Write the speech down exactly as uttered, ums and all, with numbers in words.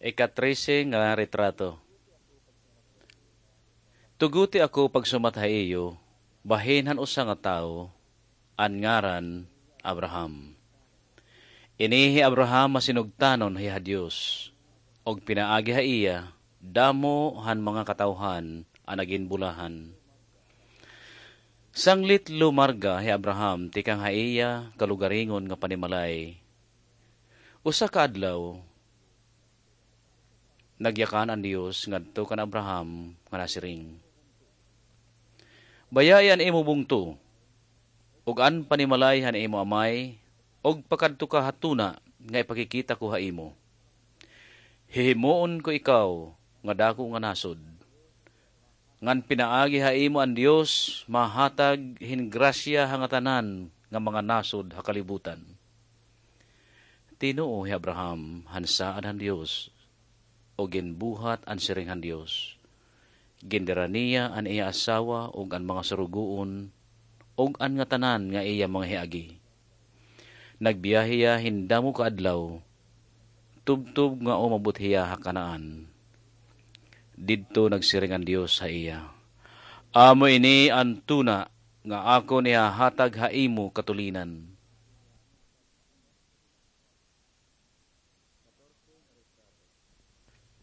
Ika-trese nga retrato. Tuguti ako pagsumat ha iyo, bahin han usa nga tawo, an ngaran Abraham. Ini hi Abraham masinugtanon hiya ha Dios, ug pinaagi ha iya, damo han mga katawhan an naginbulahan. Sanglit lumarga hi Abraham tikang ha iya kalugaringon nga panimalay. Usa ka adlaw, nagyakan an Dios ngadto kan Abraham nga nasiring, "Bayai an imo bungto, ug an panimalay han imo amay, ug pakadto ka ha tuna nga ipakikita ko ha imo. Hihimuon ko ikaw nga dako nga nasod, ngan pinaagi ha imo an Dios mahatag hin grasya ha ngatanan nga mga nasod ha kalibutan." Tinuo hi Abraham han saad han Dios, ug ginbuhat an siring han Dios. Gindara niya an iya asawa ug an mga surugoon, ug an ngatanan nga iya mga hiagi. Nagbiyahe hiya hin damo ka adlaw, tubtob nga umabot hiya ha Canaan. Didto nagsiring an Dios ha iya, "Amo ini an tuna nga akon ihahatag ha imo katulinan."